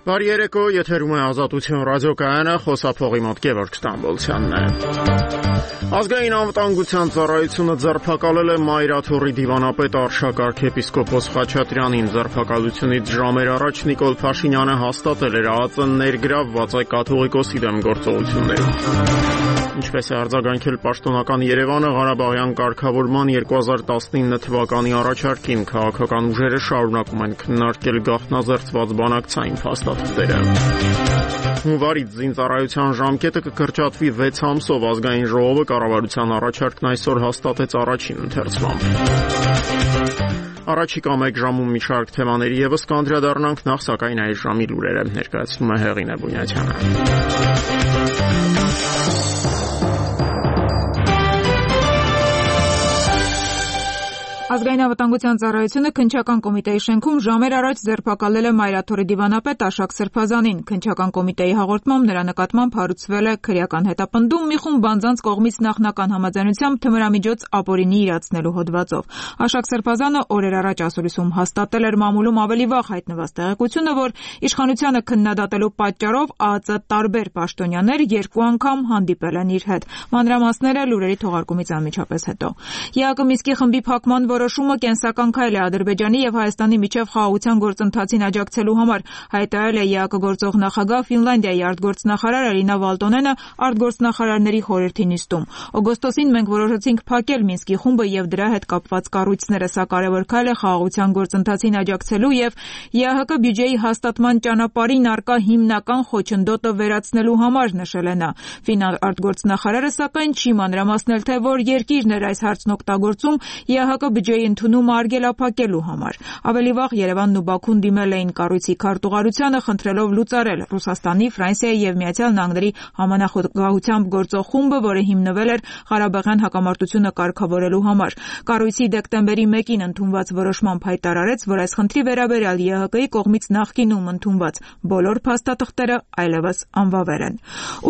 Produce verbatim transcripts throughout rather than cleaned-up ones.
Բարի երեկո, եթերում է Ազատություն ռադիոկայանը, խոսափողի մոտ Գևորգ Ստամբոլցյանն է։ Ազգային անվտանգության ծառայությունը ձերբակալել է Մայրաթոռի դիվանապետ Արշակարգ եպիսկոպոս Խաչատրյանին։ Ձերբակալությունից ժամեր առաջ Նիկոլ Փաշինյանը հաստատել էր ԱԱԾ ներգրավված է կաթողիկոսի դեմ գործողություններում։ Ինչպես է արձագանքել պաշտոնական Երևանը Ղարաբաղյան կարգավորման երկու հազար տասնինը թվականի առաջարկին, քաղաքական ուժերը շարունակում են քննարկել գաղտնազերծված բանակցային փաստաթղթերը։ Հունվարից զինծառայության ժամկետը կկրճատվի վեց ամսով, ազգային ժողովը կառավարության առաջարկն այսօր հաստատեց առաջին ընթերցմամբ։ Առաջիկա մեկ ժամում մի շարք թեմաների ևս կանդրադառնանք, նախ սակայն այս ժամի լուրերը ներկայացնում է Հեղինե Բունյացյանը։ Ազգային անվտանգության ծառայությունը քննչական կոմիտեի շենքում ժամեր առաջ ձերբակալել է Մայրաթոռի դիվանապետ Աշակ Սրբազանին։ Քննչական կոմիտեի հաղորդմամբ նրա նկատմամբ հարուցվել է քրեական հետապնդում մի խումբ անձանց կողմից նախնական համաձայնությամբ թմրամիջոց ապօրինի իրացնելու հոդվածով։ Աշակ Սրբազանը օրեր առաջ ասուլիսում հաստատել էր մամուլում ավելի վաղ հայտնված տեղեկությունը, որ իշխանությանը քննադատելու պատճառով ԱԱԾ տարբեր պաշտոնյաներ երկու անգամ հանդիպել են իր հետ։ Մանրամասները լուրերի թողարկումից անմիջապես հետո։ ԵԱԿ Մինսկի խմբի փակման որոշումը կենսական քայլ է Ադրբեջանի եւ Հայաստանի միջև խաղաղության գործընթացին աջակցելու համար, հայտարարել է ԵԱԿ գործող նախագահ Ֆինլանդիայի արտգործնախարար Էլինա Վալտոնենը արտգործնախարարների խորհրդի նիստում։ Օգոստոսին մենք որոշեցինք փակել Մինսկի խումբը եւ դրա հետ կապված կառույցները, սա կարեւոր քայլ է խաղաղության գործընթացին աջակցելու եւ ԵԱՀԿ բյուջեի հաստատման ճանապարհին առկա հիմնական խոչընդոտը վերացնելու համար, նշել է նա։ Ֆին արտգործնախարարը սակայն չի մանրամասնել, թե որ երկիրն էր այս հարցն օգտագործում ԵԱՀԿ բյուջեի ընդունումը արգելափակելու համար։ Ավելի վաղ Երևանն ու Բաքուն դիմել էին կառույցի քարտուղարությանը, խնդրելով լուծարել Ռուսաստանի, Ֆրանսիայի եւ Միացյալ Նահանգների համանախագահությամբ գործող խումբը, որը հիմնվել էր Ղարաբաղյան հակամարտությունը կարգավորելու համար։ Կառույցի դեկտեմբերի մեկին ընդունված որոշմամբ հայտարարեց, որ այս խնդրի վերաբերյալ ԵԱՀԿ-ի կողմից նախկինում ընդունված բոլոր փաստաթղթերը այլևս անվավեր են։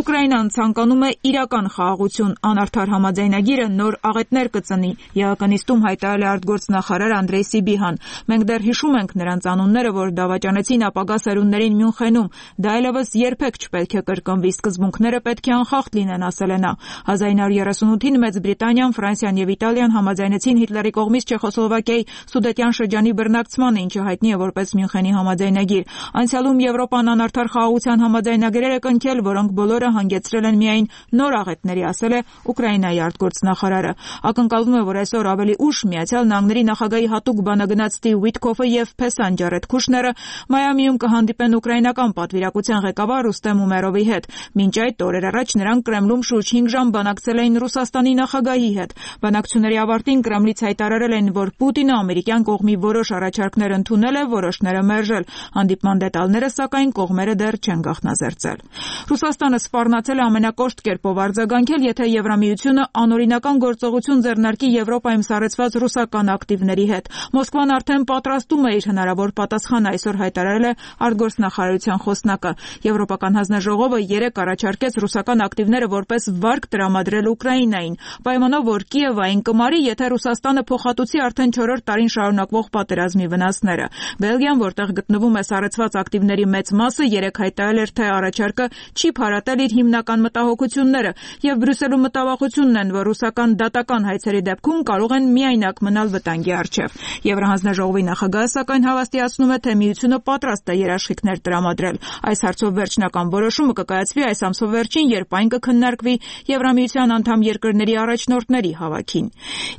Ուկրաինան ցանկանում է իրական խաղաղություն, անարդար համաձայնագիրը նոր աղետներ կծնի։ ԵԱՀԿ նիստում հայտարարել է արտգործնախարար Անդրեյ Սիբիհան։ Մենք դեռ հիշում ենք նրանց անունները, որ դավաճանեցին ապագա սերունդներին Մյունխենում։ Դա այլևս երբեք չպետք է կրկնվի, սկզբունքները պետք է անխախտ լինեն, ասել է նա։ հազար ինը հարյուր երեսունութին Մեծ Բրիտանիան, Ֆրանսիան եւ Իտալիան համաձայնեցին Հիտլերի կողմից Չեխոսլովակիայի Սուդետյան շրջանի բռնակցմանը, ինչը հայտնի է որպես Մյունխենի համաձայնագիր։ Անցյալում Եվրոպան անարդար խաղաղության համաձայնագրեր է կնքել, որոնք բոլորը հանգեցրել են միայն նոր աղետների, ասել է Ուկրաինայի արտգործնախարարը։ Ակնկալվում է, որ այսօր ավելի ուշ Միացյալ Նահանգների նախագահի հատուկ բանագնաց Ստիվ Ուիտկոֆը եւ Փեսան Ջարեդ Քուշները Մայամիում կհանդիպեն ուկրաինական պատվիրակության ղեկավար Ռուստեմ Ումերովի հետ։ Մինչ այդ օրեր առաջ նրանք Կրեմլում շուրջ հինգ ժամ բանակցել էին Ռուսաստանի նախագահի հետ։ Բանակցությունների ավարտին Կրեմլից հայտարարել են, որ Պուտինը ամերիկյան կողմի որոշ առաջարկներ ընդունել է, որոշները մերժել։ Հանդիպման դետալները, սակայն, կողմերը դեռ չեն գաղտնազերծել։ Ռուսաստանը սպառնացել է ամենակոշտ կերպով արձագանքել, եթե Եվրամիությունը անօրինական գործողություն ձեռնարկի Եվրոպայում սառեցված ռուսական ակտիվների հետ։ Մոսկվան արդեն պատրաստում է իր հնարավոր պատասխանը, այսօր հայտարարել է արտգործնախարարության խոսնակը։ Եվրոպական հանձնաժողովը երեկ առաջարկեց ռուսական ակտիվները որպես վարկ տրամադրել Ուկրաինային, պայմանով, որ Կիևը այն կմարի, եթե Ռուսաստանը փոխհատուցի արդեն չորրորդ տարին շարունակվող պատերազմի վնասները։ Բելգիան, որտեղ գտնվում է սառեցված ակտիվների մեծ մասը, երեկ հայտարարել էր, թե առաջարկը չի փարատել իր հիմնական մտահոգությունները, եւ Բրյուսելում մտավախությունն են, որ ռուսական դատական հայցերի դեպքում կարող են միայնակ մնալ վտանգի առջև։ Եվրահանձնաժողովի նախագահը սակայն հավաստիացնում է, թե միությունը պատրաստ է երաշխիքներ տրամադրել։ Այս հարցով վերջնական որոշումը կկայացվի այս ամսվա վերջին, երբ այն կքննարկվի Եվրամիության անդամ երկրների առաջնորդների հավաքին։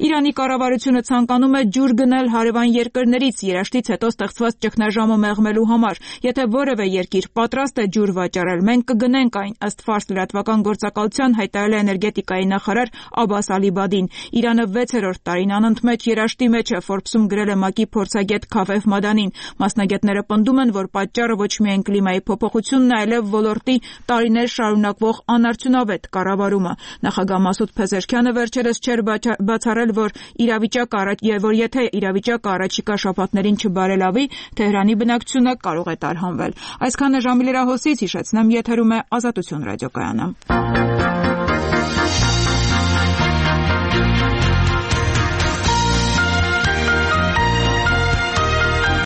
Իրանի կառավարությունը ցանկանում է ջուր գնել հարևան երկրներից երաշտից հետո ստեղծված ճգնաժամը մեղմելու համար։ Եթե որևէ երկիր պատրաստ է ջուր վաճառել, մենք կգնենք այն, ըստ Ֆարս լրատվական գործակալության հայտարարել է էներգետիկայի նախարար Աբաս Ալիբադին։ Իրանը վեցերորդ տարին անընդմեջ երաշտի մեջ է, Forbes-ում գրել է ՄԱԿ-ի փորձագետ Քաֆեֆ Մադանին։ Մասնագետները պնդում են, որ պատճառը ոչ միայն կլիմայի փոփոխությունն է, այլև ոլորտի տարիներ շարունակվող անարդյունավետ կառավարումը։ Նախագահ Մասուդ Փեզեշքյանը վերջերս չէր բացառել, որ իրավիճակը եւ որ եթե իրավիճակը առաջիկա շաբաթներին չբարելավի, Թեհրանի բնակչությունը կարող է տարհանվել։ Այսքանը ժամի լրահոսից, հիշեցնեմ, եթերում է Ազատություն ռադիոկայանը։